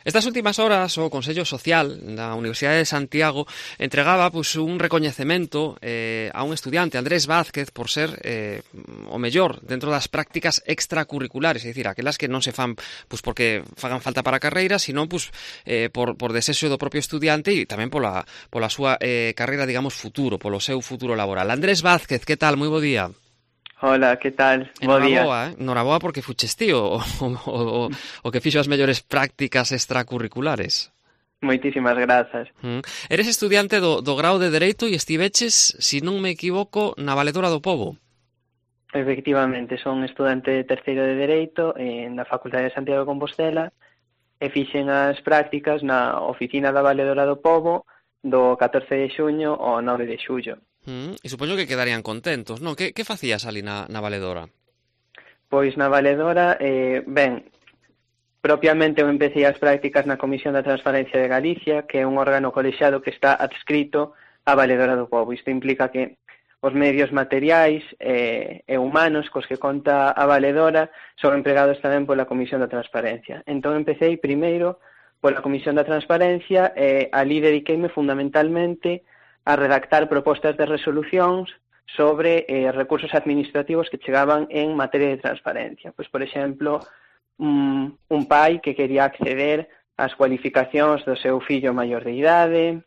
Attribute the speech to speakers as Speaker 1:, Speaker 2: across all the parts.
Speaker 1: Estas últimas horas o Consello Social da Universidade de Santiago entregaba un recoñecemento a un estudiante, Andrés Vázquez, por ser o mellor dentro das prácticas extracurriculares, é dicir, aquelas que non se fan porque fagan falta para a carreira, sino por desexo do propio estudiante e tamén pola súa carreira, digamos, futuro, polo seu futuro laboral. Andrés Vázquez, que tal? Moi bo día.
Speaker 2: Hola, que tal? Bo día.
Speaker 1: Noraboa porque fuches ti o que fixo as mellores prácticas extracurriculares.
Speaker 2: Moitísimas grazas.
Speaker 1: Eres estudiante do grao de Dereito e estiveches, se non me equivoco, na Valedora do Pobo.
Speaker 2: Efectivamente, son estudante de terceiro de Dereito na Facultade de Santiago de Compostela e fixen as prácticas na oficina da Valedora do Pobo do 14 de xuño ao 9 de xullo.
Speaker 1: E supoño que quedarían contentos, non? Que facías ali na Valedora?
Speaker 2: Pois na Valedora, propiamente eu empecé as prácticas na Comisión da Transparencia de Galicia, que é un órgano colexiado que está adscrito á Valedora do Pobo. Isto implica que os medios materiais e humanos cos que conta a Valedora son empregados tamén pola Comisión da Transparencia. Entón empecé primeiro pola Comisión da Transparencia e ali dediqueime fundamentalmente a redactar propostas de resolucións sobre recursos administrativos que chegaban en materia de transparencia. Pois, por exemplo, un pai que quería acceder ás cualificacións do seu fillo maior de idade,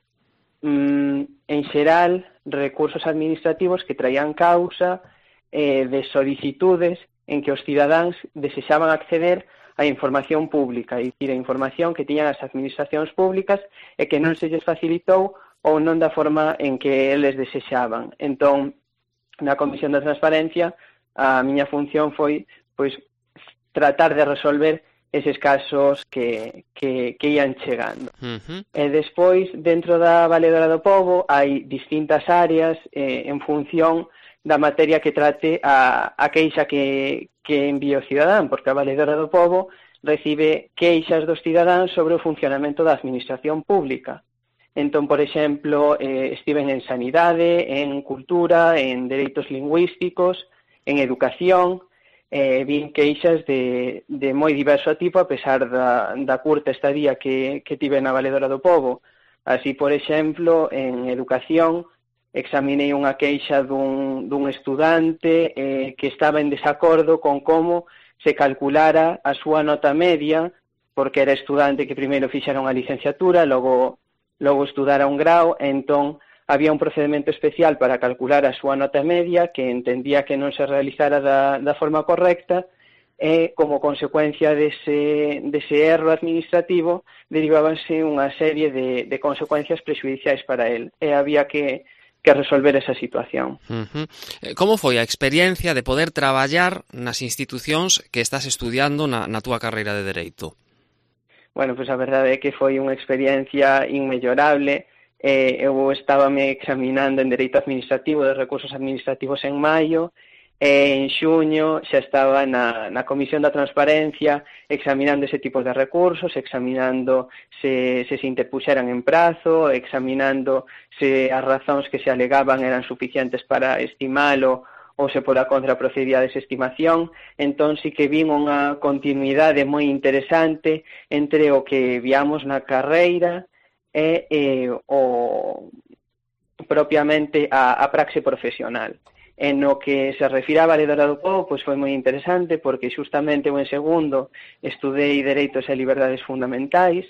Speaker 2: en xeral, recursos administrativos que traían causa de solicitudes en que os cidadáns desexaban acceder a información pública, é dicir, a información que tiñan as administracións públicas e que non se lles facilitou ou non da forma en que eles desexaban. Entón, na Comisión da Transparencia, a miña función foi tratar de resolver eses casos que ian chegando. E despois, dentro da Valedora do Pobo, hai distintas áreas en función da materia que trate a queixa que envía o cidadán, porque a Valedora do Pobo recibe queixas dos cidadáns sobre o funcionamento da administración pública. Entón, por exemplo, estiven en sanidade, en cultura, en dereitos lingüísticos, en educación, vin queixas de moi diverso tipo, a pesar da curta estadía que tive na Valedora do Pobo. Así, por exemplo, en educación, examinei unha queixa dun estudante que estaba en desacordo con como se calculara a súa nota media, porque era estudante que primeiro fixera unha licenciatura, logo estudara un grao, entón había un procedimento especial para calcular a súa nota media que entendía que non se realizara da forma correcta e, como consecuencia dese erro administrativo, derivábanse unha serie de consecuencias prexudiciais para el e había que resolver esa situación.
Speaker 1: Como foi a experiencia de poder traballar nas institucións que estás estudiando na túa carreira de Dereito?
Speaker 2: Bueno, pois a verdade é que foi unha experiencia inmellorable. Eu estábame examinando en Dereito Administrativo de Recursos Administrativos en maio, e en xuño xa estaba na Comisión da Transparencia examinando ese tipo de recursos, examinando se interpuxeran en prazo, examinando se as razóns que se alegaban eran suficientes para estimalo ou se pola contra procedía a desestimación. Entón sí que vin unha continuidade moi interesante entre o que viamos na carreira e propiamente a praxe profesional. En o que se refira a Valedora do Pobo, pois foi moi interesante porque xustamente eu en segundo estudei Dereitos e Liberdades Fundamentais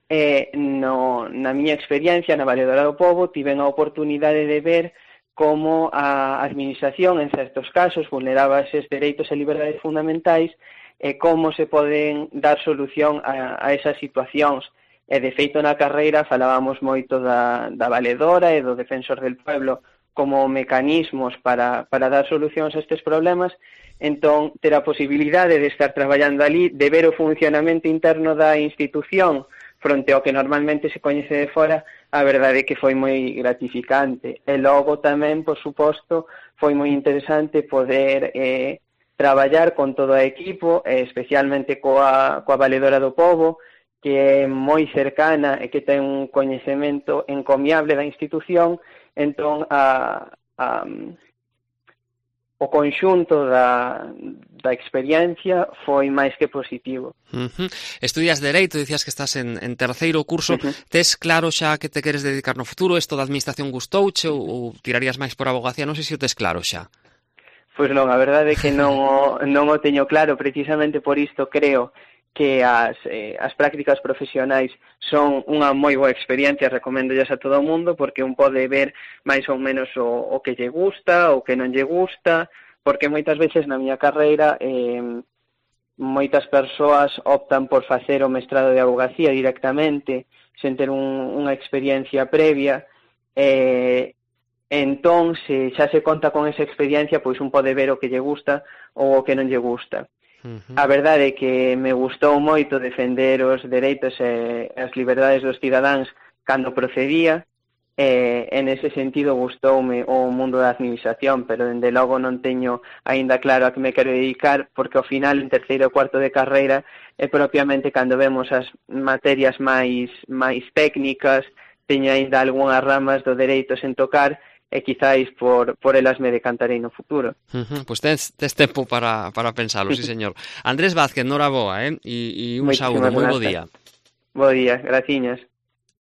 Speaker 2: e na miña experiencia na Valedora do Pobo tiven a oportunidade de ver como a administración, en certos casos, vulneraba eses dereitos e liberdades fundamentais e como se poden dar solución a esas situacións. E, de feito, na carreira falábamos moito da valedora e do defensor del pueblo como mecanismos para dar solucións a estes problemas. Entón, ter a posibilidade de estar traballando ali, de ver o funcionamento interno da institución fronte ao que normalmente se coñece de fora, a verdade é que foi moi gratificante. E logo tamén, por suposto, foi moi interesante poder traballar con todo o equipo, especialmente coa Valedora do Pobo, que é moi cercana e que ten un coñecemento encomiable da institución. Entón, o conxunto da experiencia foi máis que positivo.
Speaker 1: Estudias Dereito, dicías que estás en terceiro curso. Tes claro xa que te queres dedicar no futuro? Isto da administración gustouche ou tirarías máis por abogacía? Non sei se o tes claro xa.
Speaker 2: Pois non, a verdade é que non o teño claro. Precisamente por isto creo que as prácticas profesionais son unha moi boa experiencia, recoméndollas a todo o mundo, porque un pode ver máis ou menos o que lle gusta, o que non lle gusta, porque moitas veces na miña carreira moitas persoas optan por facer o mestrado de abogacía directamente, sen ter unha experiencia previa, entón, se xa se conta con esa experiencia, pois un pode ver o que lle gusta ou o que non lle gusta. A verdade é que me gustou moito defender os dereitos e as liberdades dos cidadáns cando procedía, en ese sentido gustoume o mundo da administración, pero dende logo non teño aínda claro a que me quero dedicar, porque ao final, en terceiro e cuarto de carreira, é propiamente cando vemos as materias máis técnicas, teño aínda algunhas ramas do dereito sen tocar, e quizáis por elas me decantarei no futuro.
Speaker 1: Pois tes tempo para pensalo, sí, señor. Andrés Vázquez, noraboa, e un saúdo, moi bo día.
Speaker 2: Bo día, graciñas.